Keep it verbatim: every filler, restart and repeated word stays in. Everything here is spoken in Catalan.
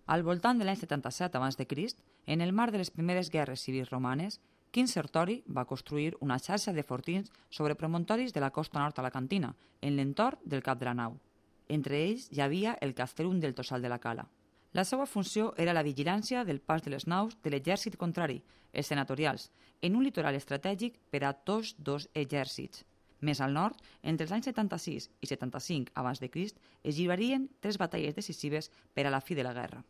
Al voltant de l'any setanta-set abans de Crist, en el marc de les primeres guerres civils romanes, Quint Sertori va construir una xarxa de fortins sobre promontoris de la costa nord alacantina, en l'entorn del cap de la nau. Entre ells hi havia el Castellum del Tossal de la Cala. La seva funció era la vigilància del pas de les naus de l'exèrcit contrari, els senatorials, en un litoral estratègic per a tots dos exèrcits. Més al nord, entre els anys setanta-sis i setanta-cinc abans de Crist, es lliurarien tres batalles decisives per a la fi de la guerra.